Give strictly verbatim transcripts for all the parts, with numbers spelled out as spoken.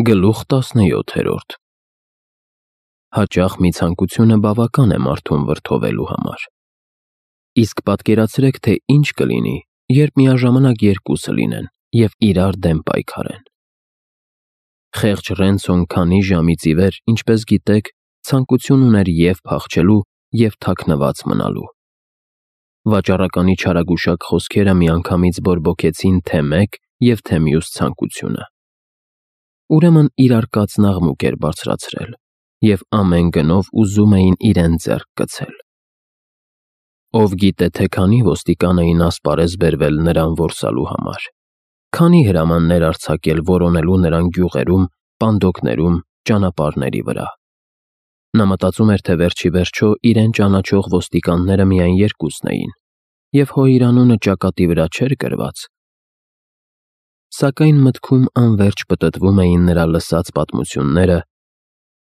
Գլուխ տասնյոթերորդ Հաճախ մի ցանկությունը բավական է մարդուն վրդովելու համար։ Իսկ պատկերացրեք, թե ինչ կլինի, երբ միաժամանակ երկուսը լինեն և իրար դեմ պայքարեն։ Խեղճ Ռենցոն քանի ժամից ի վեր, ինչպես գիտեք, ցանկություն ուներ և փախչելու, և թաքնված մնալու։ Վաճառականի չարագուշակ խոսքերը միանգամից բորբոքեցին թե մեկ և թե մյուս ցանկությունը։ Ուրեմն իրար կացն աղմուկ էր բարձրացրել, և ամեն գնով ուզում էին իրեն ձեռք գցել։ Ով գիտե, թե քանի ոստիկան էին ասպարեզ բերվել նրան որսալու համար, քանի հրամաններ արձակել որոնելու նրան գյուղերում, պանդոկներում, ճանապարհների վրա։ Նա մտածում էր, թե վերջիվերջո իրեն ճանաչող ոստիկանները միայն երկուսն էին, և հո իր անունը ճակատի վրա չէր գրված։ Սակայն մտքում անվերջ պտտվում էին նրա լսած պատմությունները,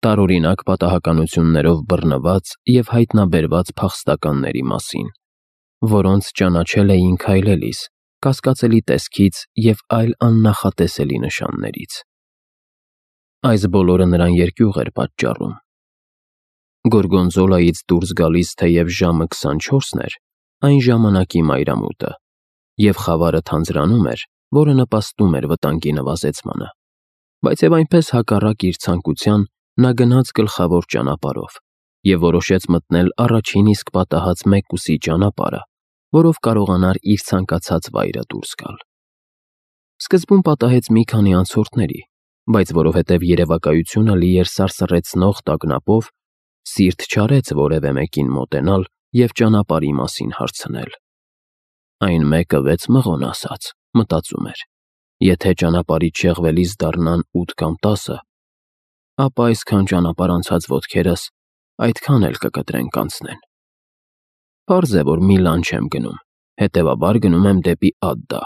տարօրինակ պատահականություններով բռնված և հայտնաբերված փախստականների մասին, որոնց ճանաչել էին քայլելիս, կասկածելի տեսքից և այլ աննախատեսելի նշաններից։ Այս բոլորը նրան երկյուղ էր պատճառում։ Գորգոնզոլայից դուրս գալիս թեև ժամը քսանչորսն էր, այն ժամանակի մայրամուտը, և խավարը թանձրանում էր, որը նպաստում էր վտանգի նվազեցմանը, բայց և այնպես հակառակ իր ցանկության, նա գնաց գլխավոր ճանապարհով և որոշեց մտնել առաջին իսկ պատահած մեկուսի ճանապարհը, որով կարողանար իր ցանկացած վայրը դուրս գալ։ Սկզբում պատահեց մի քանի անցորդների, բայց որովհետև երևակայությունը լի էր սարսռեցնող տագնապով, սիրտ չարեց որևէ մեկին մոտենալ և ճանապարհի մասին հարցնել։ Այն մեկը վեց մղոն ասաց, մտածում էր. եթե ճանապարհից շեղվելիս դառնան ութ կամ տասը, ապա այսքան ճանապարհ անցած ոտքերս այդքան էլ կկտրեն կանցնեն։ Պարզ է, որ մի լան չեմ գնում, հետևաբար գնում եմ դեպի Ադդա։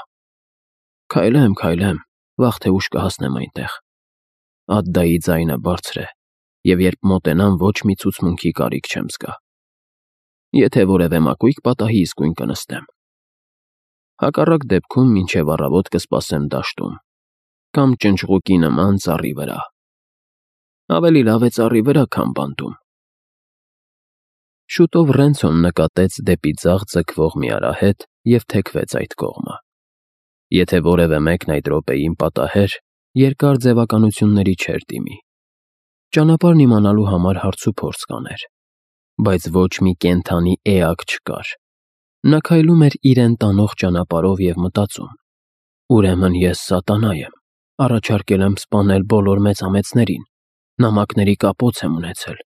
Քայլեմ, քայլեմ, վաղ թե ուշ կհասնեմ այնտեղ։ Ադդայի ձայնը բարձր է, և երբ մոտենամ, ոչ մի ցուցմունքի կարիք չեմ զգա։ Եթե որևէ մակույկ պատահի, իսկույն կնստեմ։ Հակառակ դեպքում մինչև առավոտ կսպասեմ դաշտում կամ ճնճղուկի նման ծառի վրա։ Ավելի լավ է ծառի վրա, քան բանտում։ Շուտով Ռենցոն նկատեց դեպի ձախ ձգվող մի արահետ և թեքվեց այդ կողմը։ Եթե որևէ մեկն այդ րոպեին պատահեր, երկար ձևականությունների չէր դիմի։ Ճանապարհն իմանալու համար հարցուփորձ կաներ, բայց ոչ մի կենդանի էակ չկար։ Նա քայլում էր իրեն տանող ճանապարհով և մտածում. ուրեմն ես սատանա եմ, առաջարկել եմ սպանել բոլոր մեծամեծներին, նամակների կապոց եմ ունեցել,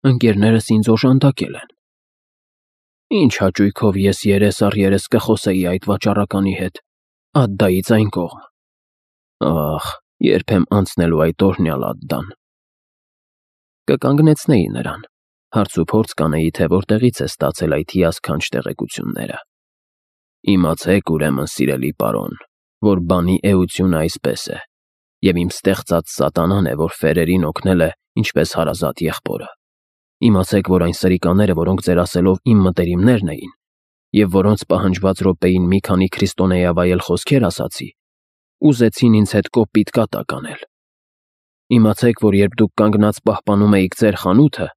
ընկերներս ինձ օժանդակել են։ Ինչ հաճույքով ես երես առ երես կխոսեի այդ վաճառականի հետ, Ադդայից այն կողմ։ Ախ, երբ եմ անցնելու այդ օրհնյալ Ադդան։ Կկանգնեցնեի նրան, հարցուփորձ կանեի, թե որտեղից է ստացել այդ հիասքանչ տեղեկությունները։ Իմացեք, ուրեմն, սիրելի պարոն, որ բանի էությունը այսպես է, և իմ ստեղծած սատանան է, որ ֆերերին օգնել է, ինչպես հարազատ եղբորը։ Իմացեք, որ այն սրիկաները, որոնք ձեր ասելով իմ մտերիմներն էին, և որոնց պահանջված րոպեին մի քանի քրիստոնեավայել խոսքեր ասացի, ուզեցին ինձ հետ կոպիտ կատակ անել։ Իմացեք, որ երբ դուք կանգնած պահպանում էիք ձեր խանութը,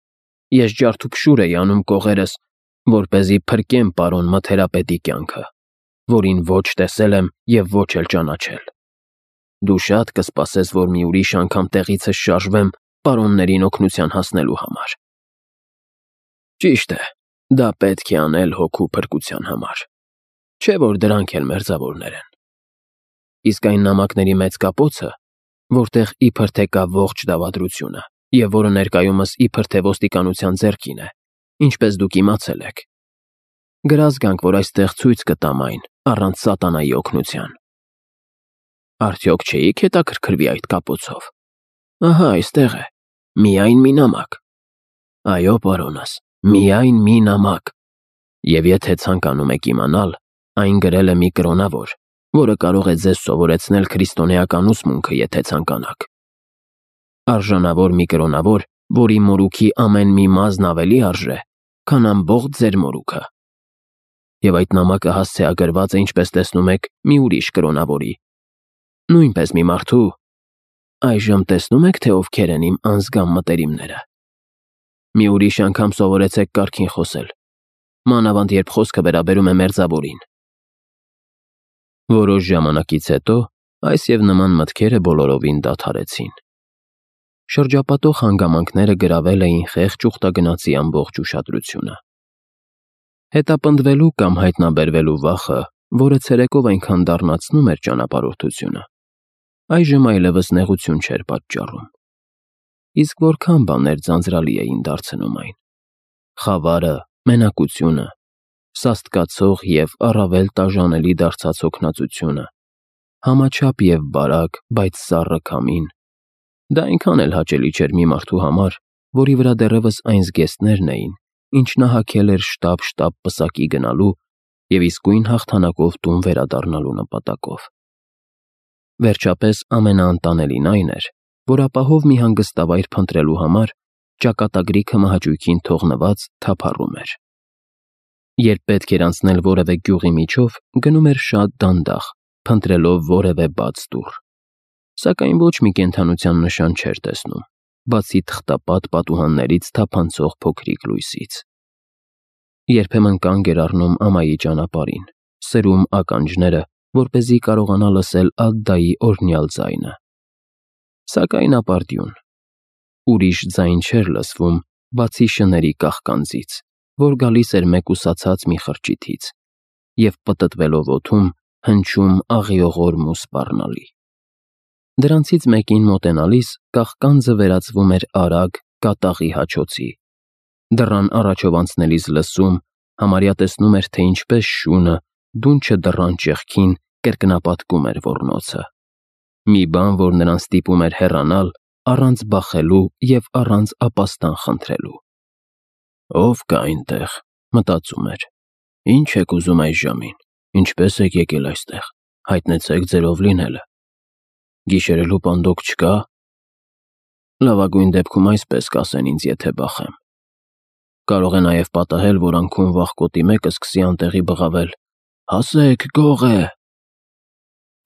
ես ջարդուփշուր էի անում կողերս, որպեսզի փրկեմ պարոն Մթերապետի կյանքը, որին ոչ տեսել եմ և ոչ էլ ճանաչել։ Դու շատ կսպասես, որ մի ուրիշ անգամ տեղիցս շարժվեմ պարոններին օգնության հասնելու համար։ Ճիշտ է, դա պետք է անել հոգու փրկության համար, չէ՞ որ դրանք էլ մերձավորներ են։ Իսկ այն նամակների մեծ կապոցը, որտեղ իբր թե կա ողջ դավադրությունը, և որը ներկայումս իբր թե ոստիկանության ձեռքին է, ինչպես դուք իմացել եք։ Գրազգանք, որ այստեղ ցույց կտամ այն, առանց սատանայի օգնության։ Արդյոք չէիք հետաքրքրվի այդ կապոցով։ Ահա այստեղ է, միայն մի նամակ։ Այո, պարոնս, միայն մի նամակ։ Եվ եթե ցանկանում եք իմանալ, այն գրել է մի կրոնավոր, որը կարող է ձեզ սովորեցնել քրիստոնեական ուսմունքը, եթե ցանկանաք։ Արժանավոր մի կրոնավոր, որի մորուքի ամեն մի մազն ավելի արժե, քան ամբողջ ձեր մորուքը։ Եվ այդ նամակը հասցեագրված է, ինչպես տեսնում եք, մի ուրիշ կրոնավորի, նույնպես մի մարդու, Այժմ տեսնում եք, թե ովքեր են իմ անզգամ մտերիմները։ Մի ուրիշ անգամ սովորեցեք կարգին խոսել, մանավանդ երբ խոսքը վերաբերում է մերձավորին։ Որոշ ժամանակից հետո այս և նման մտքերը բոլորովին դադարեցին։ Շրջապատող հանգամանքները գրավել էին խեղճ ուխտագնացի ամբողջ ուշադրությունը։ Հետապնդվելու կամ հայտնաբերվելու վախը, որը ցերեկով այնքան դառնացնում էր ճանապարհորդությունը, այժմ այլևս նեղություն չէր պատճառում։ Իսկ որքան բաներ ձանձրալի էին դարձնում այն. խավարը, մենակությունը, սաստկացող և առավել տաժանելի դարձած հոգնածությունը, համաչափ և բարակ, բայց սառը քամին։ Դա այնքան էլ հաճելի չէր մի մարդու համար, որի վրա դեռևս այն զգեստներն էին, ինչ նա հագել էր շտապ-շտապ պսակի գնալու և իսկույն հաղթանակով տուն վերադառնալու նպատակով։ Վերջապես ամենաանտանելին այն էր, որ ապահով մի հանգստավայր փնտրելու համար ճակատագրիքը մահաճույքին թողնված թափառում էր։ Երբ պետք էր անցնել որևէ գյուղի միջով, գնում էր շատ դանդաղ, փնտրելով որևէ բաց դուռ, սակայն ոչ մի կենդանության նշան չէր տեսնում, բացի թղթապատ պատուհաններից թափանցող փոքրիկ լույսից։ Երբեմն կանգ էր առնում ամայի ճանապարհին, սրում ականջները, որպեսզի կարողանա լսել Ադդայի օրհնյալ ձայնը։ Սակայն ապարդյուն, ուրիշ ձայն չէր լսվում, բացի շների կաղկանձից, որ գալիս էր մեկուսացած մի խրճիթից և պտտվելով օդում հնչում աղիողորմ ու սպառնալի։ Դրանցից մեկին մոտենալիս կաղկանձը վերածվում էր արագ կատաղի հաչոցի։ Դռան առաջով անցնելիս լսում, համարյա տեսնում էր, թե ինչպես շունը, դունչը դռան ճեղքին կրկնապատկում էր ոռնոցը։ Մի բան, որ նրան ստիպում էր հեռանալ առանց բախելու և առանց ապաստան խնդրելու։ «Ո՞վ կա այնտեղ», մտածում էր, «ինչ եք ուզում այս ժամին, ինչպե՞ս եք եկել այստեղ, հայտնեցեք ձեր ով լինելը։ Գիշերելու պանդոկ չկա՞։ Լավագույն դեպքում այսպես կասեն ինձ, եթե բախեմ։ Կարող է նաև պատահել, որ անքուն վախկոտի մեկը սկսի անտեղի բղավել. «Հասեք, գող է»։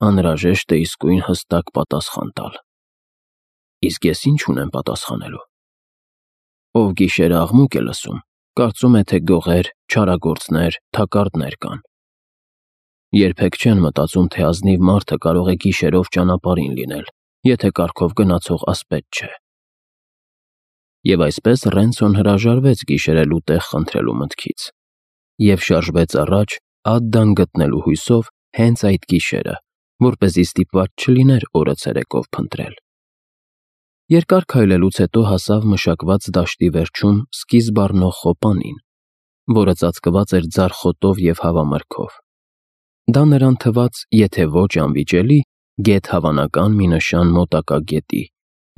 Անհրաժեշտ է իսկույն հստակ պատասխան տալ։ Իսկ ես ինչ ունեմ պատասխանելու։ Ով գիշերը աղմուկ է լսում, կարծում է, թե գողեր, չարագործներ, թակարդներ կան։ Երբեք չեն մտածում, թե ազնիվ մարդը կարող է գիշերով ճանապարհին լինել, եթե կառքով գնացող ասպետ չէ։ Եվ այսպես Ռենցոն հրաժարվեց գիշերելու տեղ խնդրելու մտքից և շարժվեց առաջ Ադդան գտնելու հույսով հենց այդ գիշերը, որպեսզի ստիպված չլիներ օրը ցերեկով փնտրել։ Երկար քայլելուց հետո հասավ մշակված դաշտի վերջում սկիզբ առնող խոպանին, որը ծածկված էր ձարխոտով և հավամրգով։ Դա նրան թվաց, եթե ոչ անվիճելի, գեթ հավանական մի նշան մոտակա գետի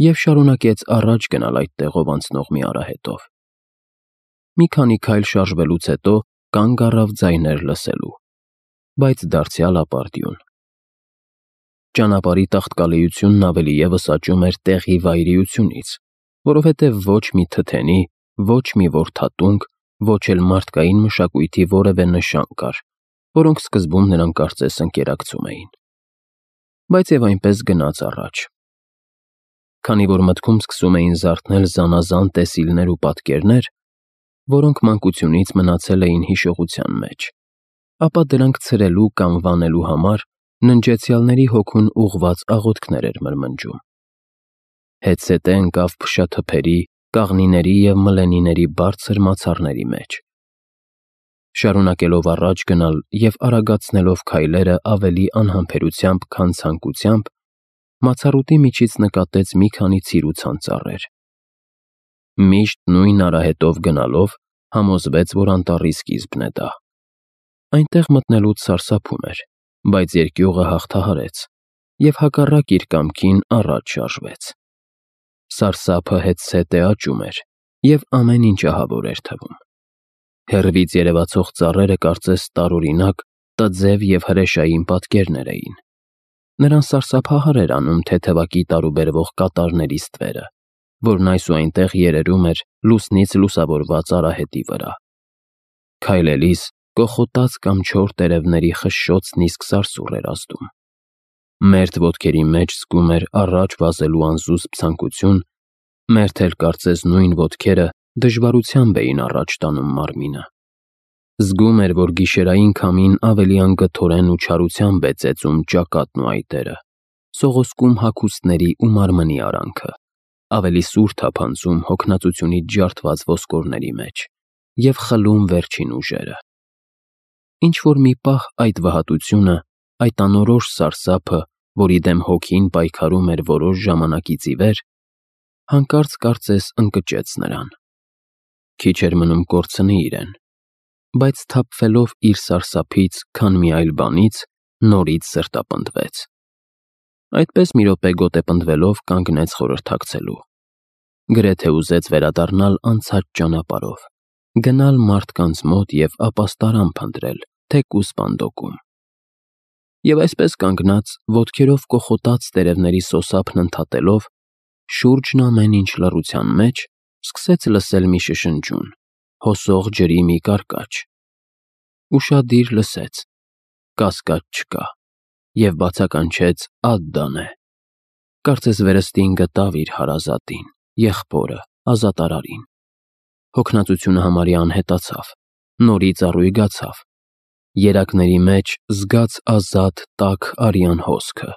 և շարունակեց առաջ գնալ այդ տեղով անցնող մի արահետով։ Մի քանի քայլ շարժվելուց հետո կանգ առավ ձայներ լսելու, բայց դարձյալ ապարդյուն։ Ճանապարհի տաղտկալիությունն ավելի ևս աճում էր տեղի վայրիությունից, որովհետև ոչ մի թթենի, ոչ մի որթատունկ, ոչ էլ մարդկային մշակույթի որևէ նշան կար, որոնք սկզբում նրան կարծես ընկերակցում էին։ Բայց և այնպես գնաց առաջ։ Քանի որ մտքում սկսում էին զարթնել զանազան տեսիլներ ու պատկերներ, որոնք մանկությունից մնացել էին հիշողության մեջ, ապա դրանք ցրելու կամ վանելու համար ննջեցյալների հոգուն ուղղված աղոթքներ էր մրմնջում։ Հետզհետե ընկավ փշաթփերի, կաղնիների և մլենիների բարձր մացառների մեջ։ Շարունակելով առաջ գնալ և արագացնելով քայլերը ավելի անհամբերությամբ, քան ցանկությամբ, մացառուտի միջից նկատեց մի քանի ցիրուցան ծառեր։ Միշտ նույն արահետով գնալով համոզվեց, որ անտառի սկիզբն է դա։ Այնտեղ մտնելուց սարսափում էր, բայց երկյուղը հաղթահարեց և հակառակ իր կամքին առաջ շարժվեց։ Սարսափը հետզհետե աճում էր և ամեն ինչ ահավոր էր թվում։ Հեռվից երևացող ծառերը կարծես տարօրինակ, տձև և հրեշային պատկերներ էին։ Նրան սարսափահար էր անում թեթևակի տարուբերվող կատարների ստվերը, որն այս ու այնտեղ երերում էր լուսնից լուսավորված արահետի վրա։ Քայլելիս կոխոտած կամ չոր տերևների խշշոցն իսկ սարսուռ էր ազդում։ Մերթ ոտքերի մեջ զգում էր առաջ վազելու անզուսպ ցանկություն, մերթ էլ կարծես նույն ոտքերը դժվարությամբ էին առաջ տանում մարմինը։ Զգում էր, որ գիշերային քամին ավելի անգթորեն ու չարությամբ է ծեծում ճակատն ու այտերը, սողոսկում հագուստների ու մարմնի արանքը, ավելի սուր թափանցում հոգնածությունից ջարդված ոսկորների մեջ և խլում վերջին ուժերը։ Ինչ-որ մի պահ այդ վհատությունը, այդ անորոշ սարսափը, որի դեմ հոգին պայքարում էր որոշ ժամանակից ի վեր, հանկարծ կարծես ընկճեց նրան։ Քիչ էր մնում կորցնի իրեն, բայց սթափվելով իր սարսափից, քան մի այլ բանից, նորից սրտապնդվեց։ Այդպես մի րոպե գոտեպնդվելով կանգնեց խորհրդակցելու։ Գրեթե ուզեց վերադառնալ անցած ճանապարհով, գնալ մարդկանց մոտ և ապաստարան փնտրել, թեկուզ պանդոկում։ Եվ այսպես կանգնած, ոտքերով կոխոտած տերևների սոսափն ընդհատելով, շուրջն ամեն ինչ լռության մեջ, սկսեց լսել մի շշնջուն, հոսող ջրի մի կարկաչ։ Ուշադիր լսեց, կասկած չկա, և բացականչեց Ադդան է։ Կարծես վերստին գտավ իր հարազատին, եղբորը, ազատարարին։ Հոգնածությունը համարյա անհետացավ, նորից առույգացավ։ Երակների մեջ զգաց ազատ տաք արյան հոսքը,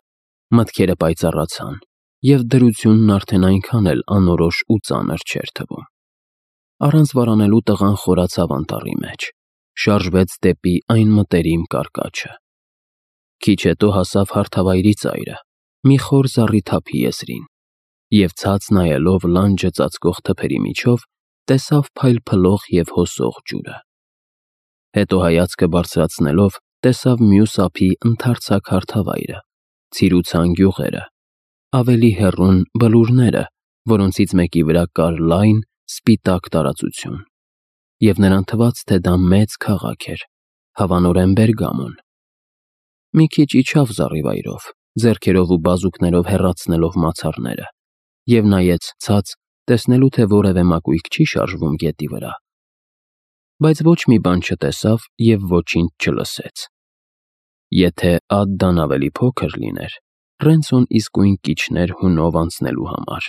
մտքերը պայծառացան, և դրությունն արդեն այնքան էլ անորոշ ու ծանր չէր թվում։ Առանց վարանելու տղան խորացավ անտառի մեջ, շարժվեց դեպի այն մտերիմ կարկաչը։ Քիչ հետո հասավ հարթավայրի ծայրը, մի խոր զառիթափի եզրին, և ցած նայելով լանջը ծածկող թփերի միջով, տեսավ փայլփլող և հոսող ջուրը։ Հետո հայացքը բարձրացնելով, տեսավ մյուս ափի ընդարձակ հարթավայրը, ցիրուցան գյուղերը, ավելի հեռուն բլուրները, որոնցից մեկի վրա կար լայն, սպիտակ տարածություն, և նրան թվաց, թե դա մեծ քաղաք էր, հավանորեն Բերգամոն։ Մի քիչ իջավ զառիվայրով, ձեռքերով ու բազուկներով հեռացնելով մացառները, և նայեց ցած, տեսնելու, թե որևէ մակույկ չի շարժվում գետի վրա, բայց ոչ մի բան չտեսավ և ոչինչ չլսեց։ Եթե Ադդան ավելի փոքր լիներ, Ռենցոն իսկույն կիջներ հունով անցնելու համար,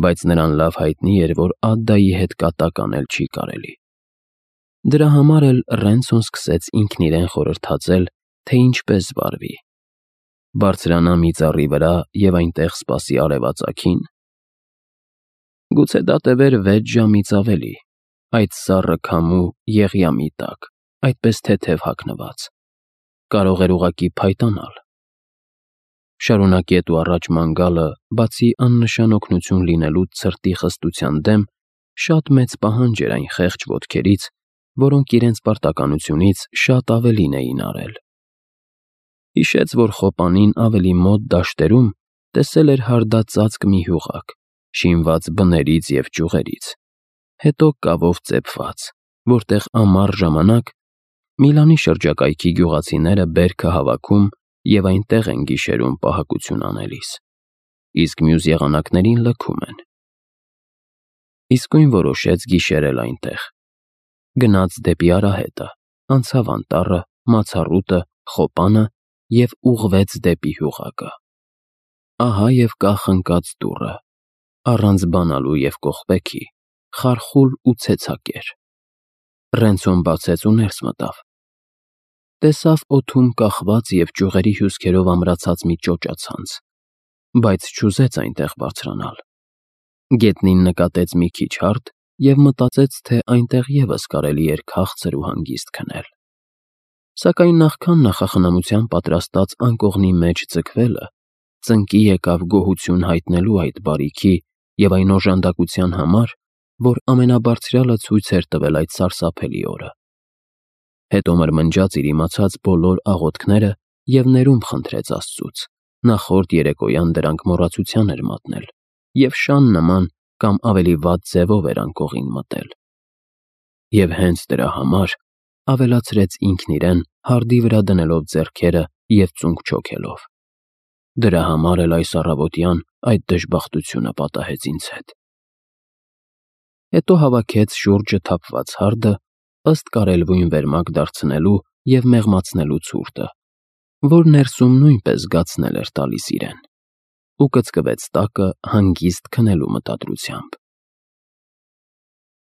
բայց նրան լավ հայտնի էր, որ Ադդայի հետ կատակ անել չի կարելի։ Դրա համար էլ Ռենցոն սկսեց ինքն իրեն խորհրդածել, թե ինչպես վարվի։ Բարձրանա մի ծառի վրա և այնտեղ սպասի արևածագի՞ն։ Գուցե դա տևեր վեց ժամից ավելի, այդ սառը քամու եղյամի տակ, այդպես թեթև հագնված։ Կարող էր ուղղակի փայտանալ։ Շարունակետ ու առաջ ման գալը, բացի աննշան օգնություն լինելուց ցրտի խստության դեմ, շատ մեծ պահանջ էր այն խեղճ ոտքերից, որոնք իրենց պարտականությունից շատ ավելին էին արել։ Հիշեց, որ խոպանին ավելի մոտ դաշտերում տեսել էր հարդածածկ մի հյուղակ, շինված բներից և ճյուղերից, հետո կավով ծեփված, որտեղ ամառ ժամանակ Միլանի շրջակայքի գյուղացիները բերքը հավաքում և այնտեղ են գիշերում պահակություն անելիս, իսկ մյուս եղանակներին լքում են։ Իսկույն որոշեց գիշերել այնտեղ։ Գնաց դեպի արահետը, անցավ անտառը, մացառուտը, խոպանը և ուղղվեց դեպի հյուղակը։ Ահա և կախ ընկած դուռը, առանց բանալու և կողպեքի, խարխուլ ու ցեցակեր։ Ռենցոն բացեց ու ներս մտավ։ Տեսավ օդում կախված և ճյուղերի հյուսքերով ամրացած մի ճոճացանց, բայց չուզեց այնտեղ բարձրանալ։ Գետնին նկատեց մի քիչ հարթ և մտածեց, թե այնտեղ ևս կարելի էր քաղցր ու հանգիստ քնել։ Սակայն նախքան նախախնամությամբ պատրաստած անկողնի մեջ ձգվելը, ծնկի եկավ գոհություն հայտնելու այդ բարիքի և այն օժանդակության համար, որ ամենաբարձրյալը ցույց էր տվել այդ սարսափելի օրը։ Հետո մրմնջաց իր իմացած բոլոր աղոթքները և ներում խնդրեց Աստծուց, նախորդ երեկոյան դրանք մոռացության էր մատնել և շան նման կամ ավելի վատ ձևով էր անկողին մտել։ Եվ հենց դրա համար ավելացրեց ինքն իրեն, հարդի վրա դնելով ձեռքերը և ծունկ չոքելով։ Դրա համար էլ այս առավոտյան այդ դժբախտությունը պատահեց ինձ հետ։ Հետո հավաքեց շուրջը թափված հարդը, ըստ կարելույն վերմակ դարձնելու և մեղմացնելու ցուրտը, որ ներսում նույնպես զգացնել էր տալիս իրեն, ու կծկվեց տակը հանգիստ քնելու մտադրությամբ։